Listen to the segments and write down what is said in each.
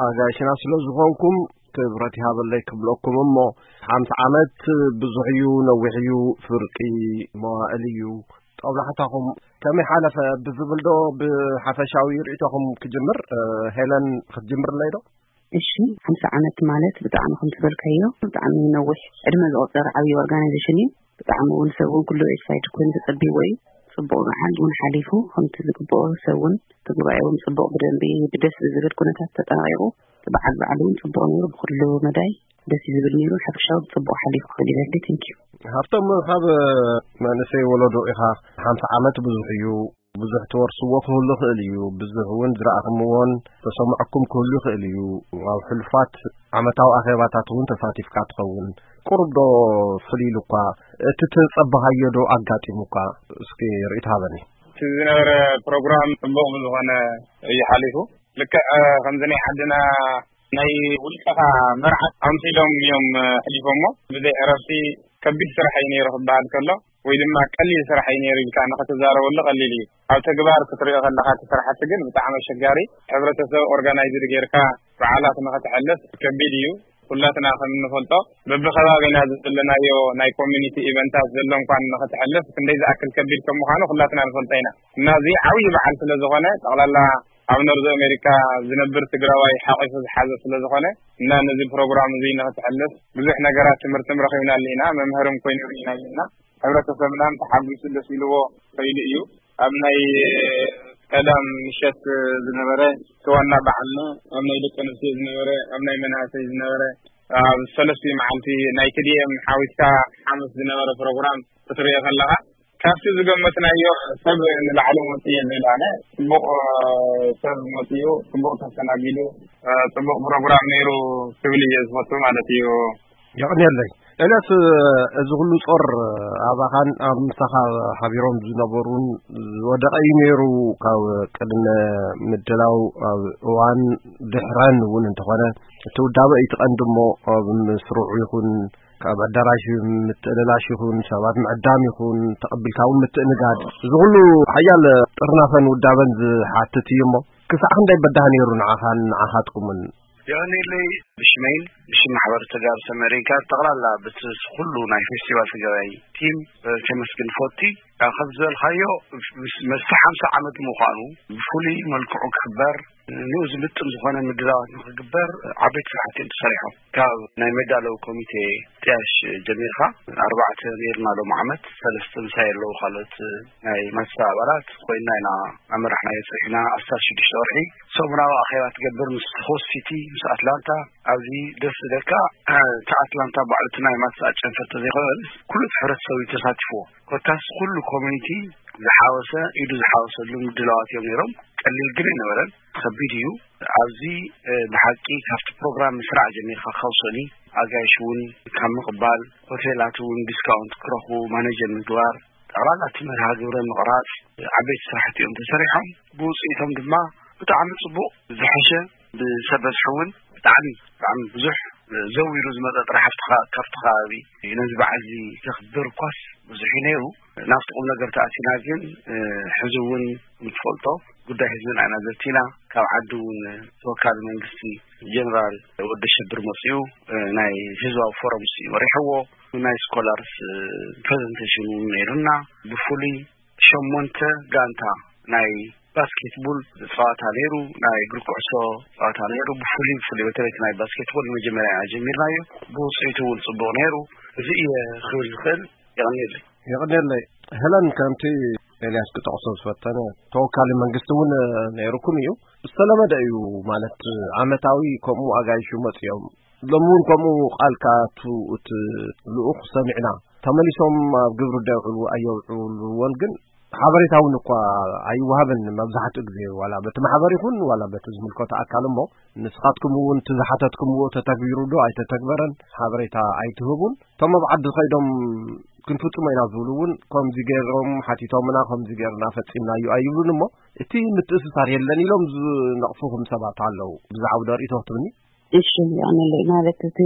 ኣጋይሽና ስለ ዝኾንኩም ክብረት ይሃበለይ ክብለኩም እሞ፣ ሓምሳ ዓመት ብዙሕ እዩ፣ ነዊሕ እዩ፣ ፍርቂ መዋእል እዩ። ጦብላሕታኹም ከመይ ሓለፈ ብዝብል ዶ ብሓፈሻዊ ርእይቶኹም ክጅምር? እ፣ ሄለን ክትጅምርለይ ዶ? እሺ፣ ሓምሳ ዓመት ማለት ብጣዕሚ ከም ትበልካዮ ብጣዕሚ ነዊሕ ዕድመ ዘቑፀረ ዓብዪ ኦርጋናይዜሽን እዩ። ብጣዕሚ እውን ሰብ እውን ኩሉ ኤክሳይትድ ኮይኑ ተፀቢዎ እዩ። ፅቡቕ መዓልቲ እውን ሓሊፉ ከምቲ ዝግብኦ ሰብ እውን እቲ ጉባኤ እውን ፅቡቕ ብደንቢ ብደስ ብዝብል ኩነታት ተጠናቂቑ እቲ በዓል በዓል እውን ፅቡቕ ነይሩ። ብኩሉ መዳይ ደስ እዩ ዝብል ነይሩ። ሓፈሻዊ ፅቡቕ ሓሊፉ ክብል ይደሊ። ቴንክ ዩ። ሃብቶም ካብ መንእሰይ ወለዶ ኢኻ። ሓምሳ ዓመት ብዙሕ እዩ። ብዙሕ ትወርስዎ ክህሉ ይኽእል እዩ። ብዙሕ እውን ዝረኣኹምዎን ተሰምዐኩም ክህሉ ይኽእል እዩ። ኣብ ሕሉፋት ዓመታዊ ኣኼባታት እውን ተሳቲፍካ ትኸውን። ቁሩብ ዶ ፍልይ ኢሉ እኳ እቲ ትጸበኻዮ ዶ ኣጋጢሙ እኳ? እስኪ ርእይቶ ሃበኒ። እቲ ዝነበረ ፕሮግራም ጽቡቕ ብዝኾነ እዩ ሓሊፉ። ልክዕ ከምዚ ናይ ዓድና ናይ ውልቀኻ መርዓት ኣምሲሎም እዮም ሕሊፎሞ። ብዘይ ዕረፍቲ ከቢድ ስራሕ እዩ ነይሩ ክበሃል ከሎ፣ ወይ ድማ ቀሊል ስራሕ እዩ ነይሩ ኢልካ ንኽትዛረበሉ ቀሊል እዩ። ኣብ ተግባር ክትሪኦ ከለኻ እቲ ስራሕቲ ግን ብጣዕሚ ኣሸጋሪ። ሕብረተሰብ ኦርጋናይዝድ ጌርካ በዓላት ንኽትሕልፍ ከቢድ እዩ። ኩላትና ከም እንፈልጦ በብኸባቢና ዘለናዮ ናይ ኮሚኒቲ ኢቨንታት ዘሎ እንኳን ንኽትሕልፍ ክንደይ ዝኣክል ከቢድ ከም ምዃኑ ኩላትና ንፈልጦ ኢና። እና እዚ ዓብዪ በዓል ስለ ዝኾነ ጠቕላላ ኣብ ኖርዝ ኣሜሪካ ዝነብር ትግራዋይ ሓቂፉ ዝሓዘ ስለ ዝኾነ እና ነዚ ፕሮግራም እዚ ንኽትሕልፍ ብዙሕ ነገራት ትምህርትን ረኺብናሉ ኢና። መምህርም ኮይኑ ርኢናዮ ኢና። ሕብረተሰብና ተሓጒሱ ደስ ኢልዎ ከይዱ እዩ። ኣብ ናይ ቀዳም ምሸት ዝነበረ እቲ ዋና በዓልና፣ ኣብ ናይ ደቂ ኣንስትዮ ዝነበረ፣ ኣብ ናይ መናእሰይ ዝነበረ፣ ኣብ ሰለስቲኡ መዓልቲ ናይ ቲ ዲ ኤም ሓዊስካ ሓሙስ ዝነበረ ፕሮግራም ክትሪኦ ከለኻ ካብቲ ዝገመትናዮ ሰብ ንላዕሊ መፅኡ የለን። ኣነ ፅቡቕ ሰብ መፅኡ፣ ፅቡቕ ተስተናጊዱ፣ ፅቡቕ ፕሮግራም ነይሩ ክብል እየ ዝፈቱ ማለት እዩ። የቕንየለይ። ኤልያስ፣ እዚ ኩሉ ጾር ኣባኻን ኣብ ምሳኻ ሓቢሮም ዝነበሩን ዝወደቐ እዩ ነይሩ። ካብ ቅድመ ምድላው ኣብ እዋን ድሕረን እውን እንተኾነ እቲ ውዳበ እዩ እቲ ቀንዲ እሞ ኣብ ምስርዑ ይኹን ካብ ኣዳራሽ ምትእልላሽ ይኹን ሰባት ምዕዳም ይኹን ተቐቢልካ እውን ምትእንጋድ፣ እዚ ኩሉ ሓያል ጥርናፈን ውዳበን ዝሓትት እዩ እሞ ክሳዕ ክንደይ በዳህ ነይሩ ንዓኻን ንዓኻትኩምን? የቐንየለይ። ብሽመይን ብሽም ማሕበር ተጋሩ ሰሜን ኣሜሪካ ጠቕላላ ብቲ ኩሉ ናይ ፌስቲቫል ትግራይ ቲም ከመስግን ፈቲ። ካብ ዝበልካዮ ምስ ሓምሳ ዓመት ምዃኑ ብፍሉይ መልክዑ ክኽበር ንኡ ዝምጥን ዝኾነ ምድላዋት ንኽግበር ዓበይቲ ስራሕቲ እዮም ተሰሪሖም። ካብ ናይ መዳለዊ ኮሚቴ ጥያሽ ጀሚርካ ኣርባዕተ ነይርና። ሎም ዓመት ሰለስተ ምሳይ ኣለዉ ካልኦት ናይ ማትሳ ኣባላት ኮይና ኢና ኣመራሕናዮ። ፅሒና ኣስታት ሽዱሽተ ወርሒ ሰሙናዊ ኣኼባ ትገብር ምስ ሆስት ሲቲ ምስ ኣትላንታ። ኣብዚ ደስ ዝደካ እቲ ኣትላንታ ባዕሉ እቲ ናይ ማትሳ ጨንፈር ተዘይኮነ ኩሉ እቲ ሕብረተሰብ እዩ ተሳቲፍዎ። ኮታስ ኩሉ ኮሚኒቲ ዝሓወሰ ኢዱ ዝሓወሰሉ ምድላዋት እዮም ነይሮም። ቀሊል ግን ኣይነበረን፣ ከቢድ እዩ። ኣብዚ ብሓቂ ካብቲ ፕሮግራም ምስራዕ ጀሚርካ ካብ ሰኒ ኣጋይሽ እውን ካብ ምቕባል ሆቴላት እውን ዲስካውንት ክረኽቡ ማኔጀር ምግባር ጠቕላላ እቲ መርሃ ግብረ ምቕራፅ ዓበይቲ ስራሕቲ እዮም ተሰሪሖም። ብውፅኢቶም ድማ ብጣዕሚ ፅቡቕ ዝሐሸ ብሰብ በዝሒ እውን ብጣዕሚ ብጣዕሚ ብዙሕ ዘዊሩ ዝመፀ ጥራሕ ኣብቲ ከ- ካብቲ ከባቢ ነዚ በዓል እዚ ዘኽብር እኳስ ብዙሕ እዩ ነይሩ። ናብቲ ቁም ነገር ተኣቲና ግን ሕዚ እውን ከምትፈልጦ ጉዳይ ህዝብና ኢና ዘቲና። ካብ ዓዲ እውን ተወካሊ መንግስቲ ጀነራል ወዲ ሸብር መፅኡ ናይ ህዝባዊ ፎረም ሲ መሪሕዎ ናይ ስኮላርስ ፕሬዘንቴሽን እውን ነይሩና። ብፍሉይ ሸሞንተ ጋንታ ናይ ባስኬትቦል ፀዋታ ነይሩ፣ ናይ እግሪ ኩዕሶ ፀዋታ ነይሩ። ብፍሉይ ብፍሉይ በተለይ እቲ ናይ ባስኬትቦል መጀመርያ ኢና ጀሚርናዮ። ብውፅኢቱ እውን ፅቡቕ ነይሩ። እዚ እየ ክብል ዝኽእል። የቐንየለይ። የቐንየለይ። ሄለን ከምቲ ኤልያስ ክጠቕሶ ዝፈተነ ተወካሊ መንግስቲ እውን ነይሩኩም እዩ። ዝተለመደ እዩ ማለት ዓመታዊ ከምኡ ኣጋይሹ መፅኦም ሎም እውን ከምኡ ቃል ክኣቱ እቲ ልኡኽ ሰሚዕና። ተመሊሶም ኣብ ግብሪ ዶ የውዕሉ ኣየውዕልዎን ግን ሓበሬታ እውን እኳ ኣይወሃብን መብዛሕትኡ ግዜ ዋላ በቲ ማሕበር ይኹን ዋላ በቲ ዝምልከቶ ኣካል እሞ ንስኻትኩም እውን እቲ ዝሓተትኩምዎ ተተግቢሩ ዶ ኣይተተግበረን ሓበሬታ ኣይትህቡን። እቶም ኣብ ዓዲ ከይዶም ክንፍጽሞ ኢና ዝብሉ እውን ከምዚ ገይሮም ሓቲቶምና ከምዚ ገይርና ፈጺምናዮ ኣይብሉን እሞ እቲ ምትእስሳር የለን ኢሎም ዝነቕፉኹም ሰባት ኣለዉ። ብዛዕባ ዶ ርእይቶ ክትብኒ? እሺ፣ ይቐንየለይ። ማለት እቲ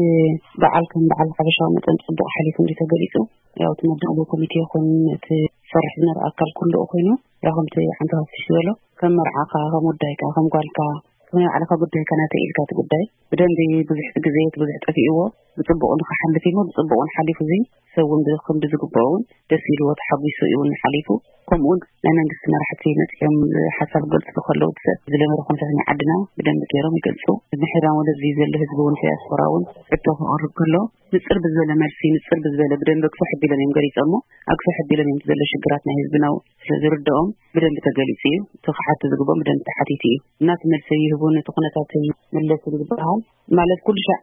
በዓል ከም በዓል ሓበሻዊ መጠን ጽቡቕ ሓሊፉ እንዲ ተገሊጹ፣ ያው እቲ መዳለዊ ኮሚቴ ይኹን እቲ ዝሰርሕ ዝነበረ ኣካል ኩሉ ኮይኑ፣ ያው ከምቲ ሓንቲ ሃፍትሽ ዝበሎ ከም መርዓኻ ከም ወዳይካ ከም ጓልካ ከመይ ባዕልኻ ጉዳይካ ናተይ ኢልካ እቲ ጉዳይ ብደንቢ ብዙሕ ግዜ እቲ ብዙሕ ጠፊእዎ ብጽቡቕ ንኽሓልፍ ኢሞ ብጽቡቕ እውን ሓሊፉ እዚ ሰብ እውን ብ- ከም ብዝግብኦ እውን ደስ ኢልዎ ተሓጒሱ እዩ እውን ሓሊፉ። ከምኡ እውን ናይ መንግስቲ መራሕቲ መፅኦም ሓሳብ ገልፅሉ ከለዉ ሰብ ዝለመደ ኩነታት ናይ ዓድና ብደንቢ ገይሮም ይገልፁ። ንሕና ወለዚ ዘሎ ህዝቢ እውን ዲያስፖራ እውን ሕቶ ክቐርብ ከሎ ንፅር ብዝበለ መልሲ ንፅር ብዝበለ ብደንቢ ኣግፍሕ ኣቢሎም እዮም ገሊፆሞ። ኣግፍሕ ኣቢሎም እዮም ዘሎ ሽግራት ናይ ህዝብና ስለ ዝርድኦም ብደንቢ ተገሊፁ እዩ። እቲ ክሓቱ ዝግብኦም ብደንቢ ተሓቲቱ እዩ። እናቲ መልሲ ይህቡን እቲ ኩነታት ይምለስን ዝበሃል ማለት ኩሉ ሻዕ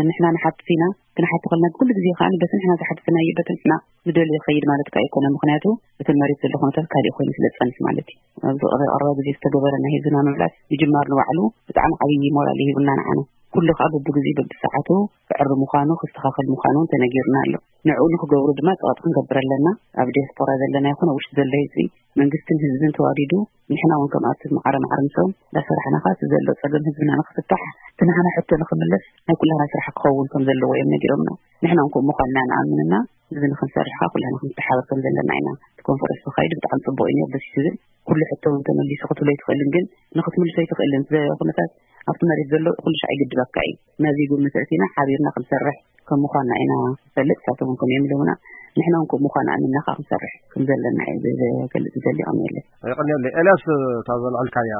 ንሕና ንሓትት ኢና። ክንሓቲ ከልና ኩሉ ግዜ ከዓ በቲ ንሕና ዝሓትትናዮ በቲ ንሕና ንደልዮ ይኸይድ ማለት ከዓ ኣይኮነ። ምክንያቱ እቲ መሬት ዘሎ ኩነታት ካሊእ ኮይኑ ስለ ዝፀንስ ማለት እዩ። ኣብዚ ቀረባ ግዜ ዝተገበረ ናይ ህዝብና ምምላስ ምጅማር ንባዕሉ ብጣዕሚ ዓብዪ ሞራል ይህብና ንዓና። ኩሉ ከዓ በብግዜ በብሰዓቱ ክዕር ምዃኑ ክስተኻኸል ምዃኑ እውን ተነጊሩና ኣሎ። ንዕኡ ንክገብሩ ድማ ፀዋት ክንገብር ኣለና። ኣብ ዲያስፖራ ዘለና ይኹን ኣብ ውሽጢ ዘሎ ህዝቢ መንግስትን ህዝብን ተዋዲዱ ንሕና እውን ከምኣት ማዕረ ማዕረ ምስኦም እንዳሰራሕና ከዓ እቲ ዘሎ ፀገም ህዝብና ንክፍታሕ እቲ ንሕና ሕቶ ንክምለስ ናይ ኩላና ስራሕ ክኸውን ከም ዘለዎ እዮም ነጊሮምና። ንሕና እውን ከምኡ ምዃንና ንኣምንና እዚ ንክንሰርሕ ከዓ ኩላና ክንተሓበር ከም ዘለና ኢና እቲ ኮንፈረንስ ተኻይዱ ብጣዕሚ ፅቡቅ እዩ ነይሩ ደስ ዝብል። ኩሉ ሕቶ እውን ተመሊሱ ክትብሎ ኣይትኽእልን ግን ንክትምልሶ ኣይትኽእልን ኩነታት ኣብቲ መሬት ዘሎ ኩሉ ሻዕ ይግድበካ እዩ። ነዚ ግምት ኣእቲና ሓቢርና ክንሰርሕ ከም ምዃንና ኢና ንፈልጥ። ንሳቶም እውን ከምኡ እዮም ኢሎምና። ንሕና እውን ከምኡ ምዃን ኣሚንና ከዓ ክንሰርሕ ከም ዘለና እዩ ዘገልጽ ዝደሊ። ቀኒየለይ። የቐንየለይ። ኤልያስ፣ እታ ዘልዐልካያ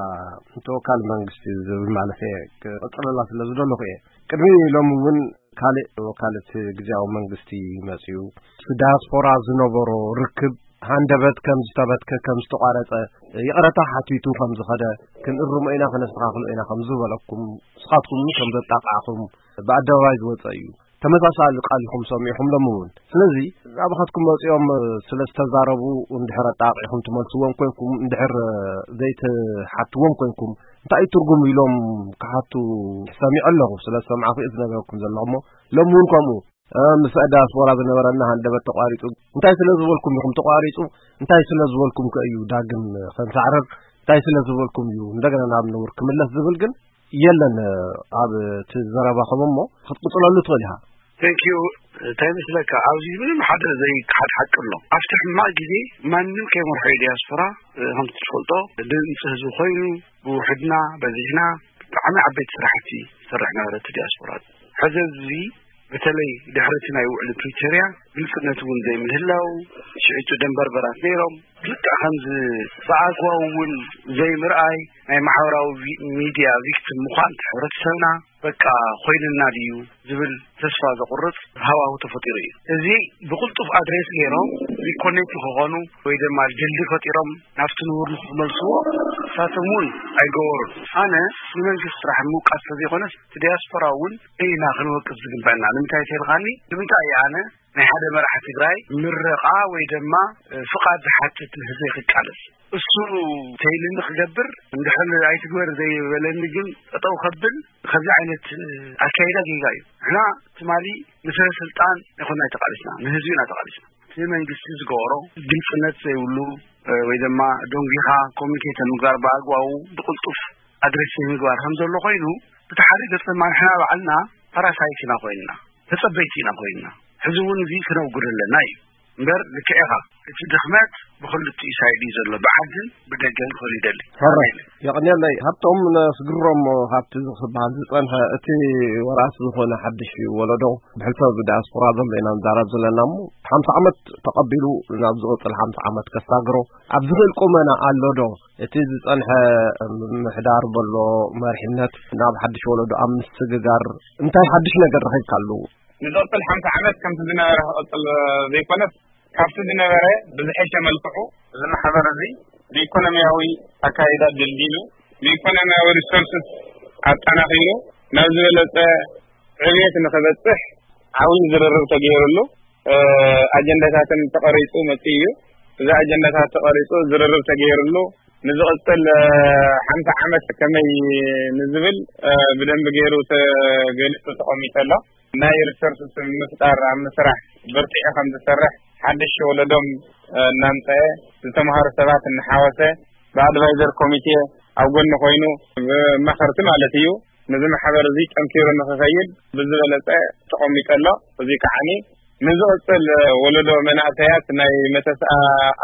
ተወካሊ መንግስቲ ዝብል ማለት እየ ክቕጽለላ ስለ ዝደለኹ እየ። ቅድሚ ሎሚ እውን ካልእ ወካልት ግዝያዊ መንግስቲ መጺኡ። ዳያስፖራ ዝነበሮ ርክብ ሃንደበት ከም ዝተበትከ፣ ከም ዝተቋረጸ፣ ይቕረታ ሓቲቱ ከም ዝኸደ፣ ክንእርሞ ኢና፣ ከነስተኻኽሎ ኢና ከም ዝበለኩም፣ ንስኻትኩም ከም ዘጣቃዕኹም ብኣደባባይ ዝወጸ እዩ። ተመሳሳሊ ቃል ኢኹም ሰሚዕኹም ሎሚ እውን። ስለዚ ናባኻትኩም መጺኦም ስለ ዝተዛረቡ እንድሕር ኣጣቂዕኹም ትመልስዎም ኮንኩም፣ እንድሕር ዘይትሓትዎም ኮንኩም፣ እንታይ እዩ ትርጉም ኢሎም ክሓቱ ሰሚዐ ኣለኹ። ስለ ዝሰማዕኹ እዩ ዝነገርኩም ዘለኹ እሞ ሎሚ እውን ከምኡ። እ፣ ምስ ዳያስፖራ ዝነበረና ሃንደበት ተቋሪጹ። እንታይ ስለ ዝበልኩም ኢኹም ተቋሪጹ? እንታይ ስለ ዝበልኩም ከ እዩ ዳግም ከንሳዕርር? እንታይ ስለ ዝበልኩም እዩ እንደገና ናብ ንቡር ክምለስ ዝብል ግን የለን። ኣብ እቲ ዘረባኹም እሞ ክትቅጽለሉ ትኽእል ኢኻ። Thank you። እንታይ መስለካ፣ ኣብዚ ምንም ሓደ ዘይከሓድ ሓቂ ኣሎ። ኣብቲ ሕማቕ ግዜ ማንም ከይመርሖ እዩ ዲያስፖራ፣ እ፣ ከምቲ ትፈልጦ ድምፂ ህዝቢ ኮይኑ ብውሕድና በዚሕና ብጣዕሚ ዓበይቲ ስራሕቲ ይሰርሕ ነበረ እቲ ዲያስፖራ። ሕዚ እዚ በተለይ ድሕሪ እቲ ናይ ውዕሊ ፕሪቶርያ ግልፅነት እውን ዘይምህላው፣ ሽዕቱ ደንበርበራት ነይሮም። ልክዕ ከምዚ ብኣግባቡ እውን ዘይምርኣይ፣ ናይ ማሕበራዊ ቪ-፣ ሚድያ ቪክቲም ምዃን እቲ ሕብረተሰብና በቃ ኮይንና ድዩ ዝብል ተስፋ ዘቑርፅ ሃዋሁ ተፈጢሩ እዩ። እዚ ብቕልጡፍ ኣድሬስ ገይሮም ሪኮኔክት ክኾኑ ወይ ድማ ድልድል ፈጢሮም ናብቲ ንቡር ንክመልስዎ ንሳቶም እውን ኣይገበሩን። ኣነ ንመንግስቲ ጥራሕ ምውቃስ ተዘይኮነስ እቲ ዲያስፖራ እውን ኢና ክንወቅስ ዝግበአና። ንምንታይ ተልኻኒ? ንምንታይ እየ ኣነ ናይ ሓደ መራሒ ትግራይ ምረቓ ወይ ድማ፣ እ፣ ፍቓድ ዝሓትት ንህዝበይ ክቃለስ? እሱ ተይልኒ ክገብር፣ እንድሕር ኣይትግበር ዘይበለኒ ግን ጠጠው ከብል፣ ከምዚ ዓይነት፣ እ፣ ኣካይዳ ጌጋ እዩ። ንሕና ትማሊ ንሰበ ስልጣን ኣይኮንና ተቃሊስና፣ ንህዝቢ ኢና ተቃሊስና። እቲ መንግስቲ ዝገበሮ ግልፅነት ዘይብሉ፣ እ፣ ወይ ድማ ደንጒኻ ኮሚኒኬት ምግባር ብኣግባቡ ብቅልጡፍ ኣድሬስ ዘይምግባር ከም ዘሎ ኮይኑ፣ ብቲ ሓደ ገፅ ድማ ንሕና ባዕልና ፓራሳይት ኢና ኮይንና፣ ተፀበይቲ ኢና ኮይንና። ሕዚ እውን እዚ ክነውግድ ኣለና እዩ። እምበር ልክዕ ኢኻ፣ እቲ ድኽመት ብኽልቲኡ ሳይድ እዩ ዘሎ፣ ብዓድን ብደገን ክብል ይደሊ። ሕራይ። የቐንየለይ። ሃብቶም ነስግሮም ካብቲ ዝበሃል ዝጸንሐ እቲ ወራስ ዝኾነ ሓድሽ ወለዶ ብሕልፈ ብዳያስፖራ ዘሎ ኢና ንዛረብ ዘለና እሞ፣ ሓምሳ ዓመት ተቐቢሉ ናብ ዝቕጽል ሓምሳ ዓመት ከሳግሮ ኣብ ዝኽእል ቁመና ኣሎ ዶ? እቲ ዝጸንሐ ምምሕዳር በሎ መሪሕነት ናብ ሓድሽ ወለዶ ኣብ ምስግጋር እንታይ ሓድሽ ነገር ረኺብካሉ? ንዝቕጽል ሓምሳ ዓመት ከምቲ ዝነበረ ክቕጽል ዘይኮነስ፣ ካብቲ ዝነበረ ብዝሐሸ መልክዑ እዚ ማሕበር እዚ ብኢኮኖሚያዊ ኣካይዳ ደልዲሉ፣ ብኢኮኖሚያዊ ሪሶርስስ ኣጠናኺሩ ናብ ዝበለጸ ዕብየት ንኽበጽሕ ዓብዪ ዝርርብ ተገይሩሉ፣ እ፣ ኣጀንዳታትን ተቐሪጹ መጺኡ እዩ። እዚ ኣጀንዳታት ተቐሪጹ ዝርርብ ተገይሩሉ ንዝቕጽል፣ እ፣ ሓምሳ ዓመት ከመይ ንዝብል፣ እ፣ ብደንቢ ገይሩ ተገሊጹ ተቐሚጡ ኣሎ። ናይ ሪሶርስ ምፍጣር ኣብ ምስራሕ በርቲዑ ከም ዝሰርሕ፣ ሓድሽ ወለዶም፣ እ፣ እናምፀአ ዝተምሃሩ ሰባት እናሓወሰ ብኣድቫይዘር ኮሚቴ ኣብ ጎኒ ኮይኑ ብመኸርቲ ማለት እዩ ነዚ ማሕበር እዚ ጠንኪሩ ንክኸይድ ብዝበለፀ ተቐሚጡ ኣሎ። እዚ ከዓኒ ንዝቕፅል ወለዶ መናእሰያት ናይ መተስኣ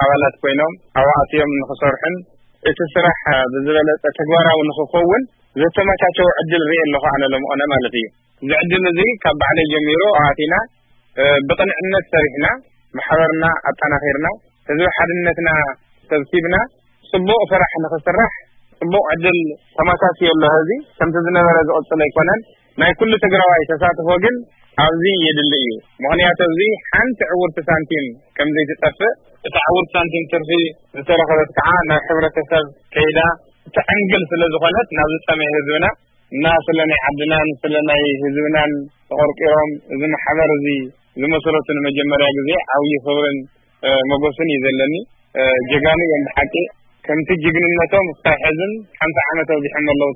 ኣባላት ኮይኖም ኣብኡ ኣትዮም ንክሰርሑን እቲ ስራሕ ብዝበለፀ ተግባራዊ ንክኸውን ዘተመቻቸው ዕድል ርኢ ኣለኹ ኣነ ለምኾነ ማለት እዩ። እዚ ዕድል እዚ ካብ ባዕለይ ጀሚሩ ኣዋቲና ብቕንዕነት ሰሪሕና፣ ማሕበርና ኣጠናኺርና፣ ህዝቢ ሓድነትና ሰብሲብና፣ ጽቡቕ ስራሕ ንኽስራሕ ጽቡቕ ዕድል ተመቻችዮ ኣሎ። እዚ ከምቲ ዝነበረ ዝቕጽል ኣይኮነን። ናይ ኩሉ ትግራዋይ ተሳትፎ ግን ኣብዚ የድሊ እዩ። ምኽንያቱ ኣብዚ ሓንቲ ዕውርቲ ሳንቲም ከም ዘይትጠፍእ፣ እታ ዕውርቲ ሳንቲም ትርፊ ዝተረኸበት ከዓ ናብ ሕብረተሰብ ከይዳ እተዕንግል ስለ ዝኾነት፣ ናብ ዝጠመየ ህዝብና እና ስለ ናይ ዓድናን ስለ ናይ ህዝብናን ተቆርቂሮም እዚ ማሕበር እዚ ዝመስረቱ ንመጀመርያ ግዜ ዓብዪ ክብርን መጎስን እዩ ዘለኒ። ጀጋኑ እዮም ብሓቂ። ከምቲ ጅግንነቶም እስካብ ሕዝን ሓምሳ ዓመት ኣብዚሖም ኣለዉ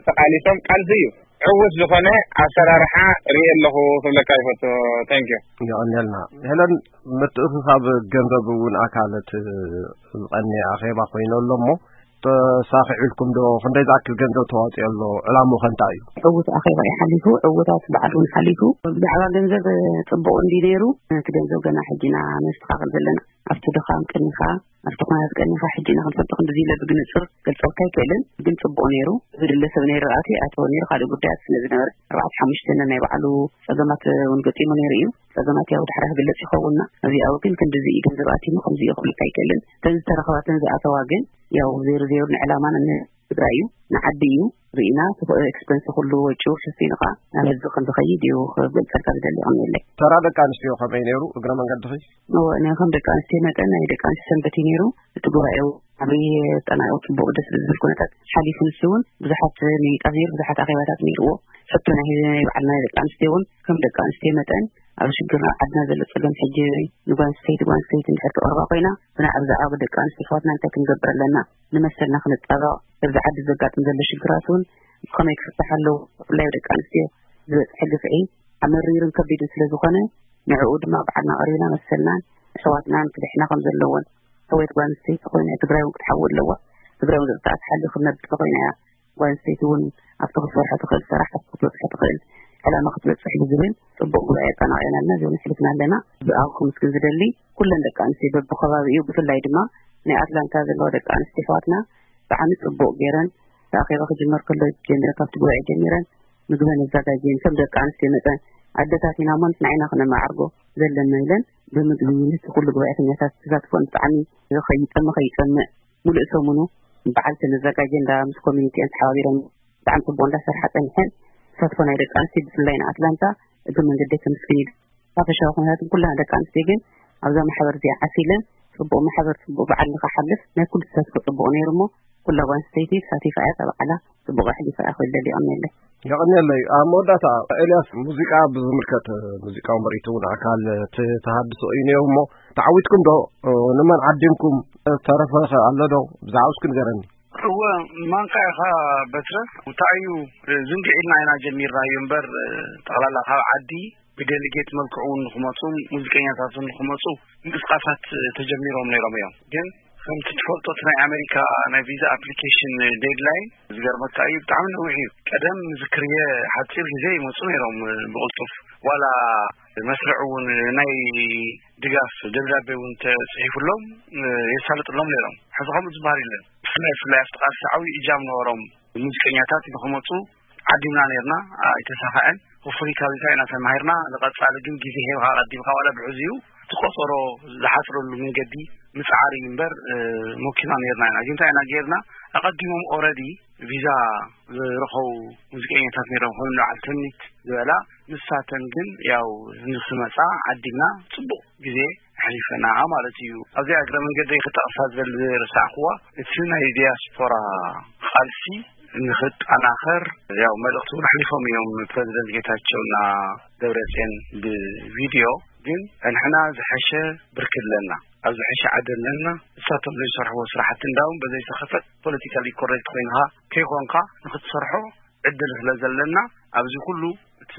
ተቃሊሶም። ቃልሲ እዩ። ዕውት ዝኾነ ኣሰራርሓ ርኢ ኣለኹ ክብለካ ይፈቱ። ተንኪዩ። የቐንየልና። ሄለን፣ ምትእኽኻብ ገንዘብ እውን ኣካል እቲ ዝቐንየ ኣኼባ ኮይኑ ኣሎ እሞ፣ ተሳኺዑልኩም ዶ? ክንደይ ዝኣክል ገንዘብ ተዋፅኦ ኣሎ? ዕላምኡ ከ እንታይ እዩ? ዕዉት ኣኼባ እዩ ሓሊፉ፣ ዕዉታት በዓል እውን ሓሊፉ። ብዛዕባ ገንዘብ ጽቡቕ እንዲ ነይሩ፣ እቲ ገንዘብ ገና ሕጂ ኢና ነስተኻኽል ዘለና። ኣብቲ ድኻም ቀኒኻ፣ ኣብቲ ኩነታት ቀኒኻ ሕጂ ኢና ክንፈልጦ ክንድዚ ኢለ ብግንጽር ገልጸልካ ኣይክእልን፣ ግን ጽቡቕ ነይሩ። ዝድለ ሰብ ነይሩ፣ ኣቲ ኣቶ ነይሩ፣ ካልእ ጉዳያት ስለ ዝነበረ፣ ኣርባዕተ ሓሙሽተ ናይ ባዕሉ ጸገማት እውን ገጢሙ ነይሩ እዩ። ጸገማት ያው ድሕራ ክግለጽ ይኸውንና። ኣብዚኣ ግን ክንድዚ እዩ ገንዘብ ኣቲሙ፣ ከምዚ እዩ ክብልካ ኣይክእልን። እተን ዝተረኸባትን ዝኣተዋ ግን ያው ዜሮ ዜሮ ንዕላማን ንትግራይ እዩ፣ ንዓዲ እዩ። ርኢና፣ እቲ ኤክስፐንስ ኩሉ ወጪኡ ሸፊኑ ኸዓ ናብ ህዝቢ ከም ዝኸይድ እዩ ክገልጸልካ ዝደሊ። ይቐንየለይ። ተራ ደቂ ኣንስትዮ ከመይ ነይሩ? እግረ መንገድኺ። እወ፣ ናይ ከም ደቂ ኣንስትዮ መጠን ናይ ደቂ ኣንስትዮ ሰንበት እዩ ነይሩ። እቲ ጉባኤ እውን ዓብዪ ኣጠናቒቑ ጽቡቕ ደስ ብዝብል ኩነታት ሓሊፉ። ንሱ እውን ብዙሓት ምይይጣት ነይሩ፣ ብዙሓት ኣኼባታት ነይርዎ። ሕቶ ናይ ህዝቢ ናይ ባዕልና ናይ ደቂ ኣንስትዮ እውን ከም ደቂ ኣንስትዮ መጠን ኣብ ሽግር ኣብ ዓድና ዘሎ ጸገም ሕጂ ንጓል ኣንስተይቲ ጓል ኣንስተይቲ እንድሕር ተቐርባ ኮይና ብናዕ ብዛዕባ ደቂ ኣንስትዮ ኣሕዋትና እንታይ ክንገብር ኣለና ንመሰልና ክንጣበቕ በዚ ዓዲ ዘጋጥም ዘሎ ሽግራት እውን ብኸመይ ክፍታሕ ኣለዎ ብፍላይ ደቂ ኣንስትዮ ዝበጽሐ ግፍዒ ኣመሪርን ከቢድን ስለ ዝኾነ ንዕኡ ድማ ባዕልና ቀሪብና መሰልናን ኣሕዋትናን ክድሕና ከም ዘለዎን ሕወየት ጓል ኣንስተይቲ ኮይና ትግራይ እውን ክትሓዊ ኣለዋ ትግራይ እውን ዘጥቃዓት ሓሊ ክነብር ተኮይና እያ ጓል ኣንስተይቲ እውን ኣብቲ ክትሰርሖ ትኽእል ስራሕ ኣብቲ ክትበፅሖ ትኽእል ዕላማ ክትበፅሕ ብዝብል ፅቡቅ ጉባኤ ኣጠናቂቕና ኣለና እዚ እውን ኣሕሊፍና ኣለና ብኣው ክምስግን ዝደሊ ኩለን ደቂ ኣንስትዮ በብከባቢኡ ብፍላይ ድማ ናይ ኣትላንታ ዘለዋ ደቂ ኣንስትዮ ኣሕዋትና ብጣዕሚ ፅቡቅ ገይረን እቲ ኣኼባ ክጅመር ከሎ ጀሚረን ካብቲ ጉባኤ ጀሚረን ምግበን ኣዘጋጅየን ከም ደቂ ኣንስትዮ መጠን ኣደታት ኢና እሞ ንሕና ኢና ክነመዓርጎ ዘለና ኢለን ብምግቢ ነቲ ኩሉ ጉባኤተኛታት ተሳትፎን ብጣዕሚ ከይጠመ ከይፀምእ ሙሉእ ሰሙኑ በዓል ተመዛጋጀ እንዳ ምስ ኮሚኒቲአን ተሓባቢረን ብጣዕሚ ፅቡቅ እንዳሰርሓ ፀኒሐን ተሳትፎ ናይ ደቂ ኣንስትዮ ብፍላይ ንኣትላንታ እግሪ መንገደይ ከምስግን እዩ ሓፈሻዊ ኩነታትን ኩልና ደቂ ኣንስትዮ ግን ኣብዛ ማሕበር እዚኣ ዓሲለን ፅቡቅ ማሕበር ፅቡቅ በዓል ንክሓልፍ ናይ ኩሉ ተሳትፎ ፅቡቅ ነይሩ እሞ ኩላ ጓል ኣንስተይቲ ተሳቲፋ እያ እዛ በዓላ ፅቡቅ ኣሕሊፋ እያ ክብል ደሊ ይቀንየለይ የቐንየለይ። ኣብ መወዳእታ ኤልያስ፣ ሙዚቃ ብዝምልከት፣ ሙዚቃዊ ምርኢት እውን ኣካል እቲ ተሃድሶ እዩ ነይሩ እሞ፣ ተዓዊትኩም ዶ? ንመን ዓዲምኩም? ዝተረፈ ኸ ኣሎ ዶ? ብዛዕባ እስኪ ንገረኒ። እወ፣ ማንካ ኢኻ በትረ። እንታይ እዩ፣ ዝንግዕ ኢልና ኢና ጀሚርናዮ እምበር፣ ጠቕላላ ካብ ዓዲ ብደሊጌት መልክዑ እውን ንክመፁ፣ ሙዚቀኛታት እውን ንክመፁ ምንቅስቃሳት ተጀሚሮም ነይሮም እዮም። ግን ከምቲ ትፈልጦ እቲ ናይ ኣሜሪካ ናይ ቪዛ ኣፕሊኬሽን ዴድላይን ዝገርመካ እዩ፣ ብጣዕሚ ነዊሕ እዩ። ቀደም ዝክርየ ሓፂር ግዜ ይመፁ ነይሮም ብቕልጡፍ። ዋላ መስርዕ እውን ናይ ድጋፍ ደብዳቤ እውን ተፅሒፉሎም የሳልጥሎም ነይሮም። ሕዚ ከምኡ ዝበሃል የለን። ብፍላይ ብፍላይ ኣብቲ ቃልሲ ዓብዪ እጃም ነበሮም ሙዚቀኛታት ንክመፁ ዓዲምና ነይርና፣ ኣይተሳኸዐን። Hopefully ካብዚ እንታይ ኢና ተማሂርና፣ ንቐፃሊ ግን ግዜ ሂብካ ኣቐዲምካ ዋላ ብሕዚኡ እቲ ቆፀሮ ዝሓፅረሉ መንገዲ ምፅዓር እዩ እምበር፣ እ፣ ሞኪና ነይርና ኢና። ግን እንታይ ኢና ገይርና፣ ኣቐዲሞም already ቪዛ ዝረኸቡ ሙዚቀኛታት ነይሮም፣ ከም በዓል ተምኒት ዝበላ፣ ንሳተን ግን ያው ንክመፃ ዓዲምና ፅቡቕ ግዜ ኣሕሊፈና ማለት እዩ። ኣብዚኣ እግረ መንገደይ ክጠቕሳ ዝደሊ ዝረሳዕክዋ፣ እቲ ናይ ዲያስፖራ ቃልሲ ንኽጠናኸር ያው መልእኽቲ እውን ኣሕሊፎም እዮም ፕረዚደንት ጌታቸውና ደብረፅዮን ብቪድዮ። ግን ንሕና ዝሐሸ ብርኪ ኣለና፣ ኣብ ዝሐሸ ዓዲ ኣለና። ንሳቶም ዘይሰርሕዎ ስራሕቲ እንዳውም በዘይተኸፈት ፖለቲካሊ ኮሬክት ኮይንካ ከይኾንካ ንኽትሰርሖ ዕድል ስለ ዘለና ኣብዚ ኩሉ እቲ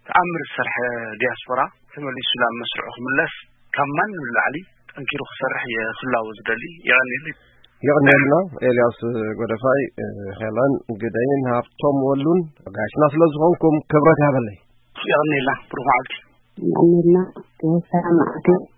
ተኣምር ዝሰርሐ ዲያስፖራ ተመሊሱ ናብ መስርዑ ክምለስ ካብ ማንም ንላዕሊ ጠንኪሩ ክሰርሕ እየ ክላወ ዝደሊ። የቐንየለይ። የቐንየልና ኤልያስ ጎደፋይ፣ ሄለን ግደይን ሃብቶም ወሉን ጋሽና ስለ ዝኾንኩም ክብረት ይሃበለይ። የቐንየልና ብሩኽ መዓልቲ። የቐንየልና ሰላም መዓልቲ።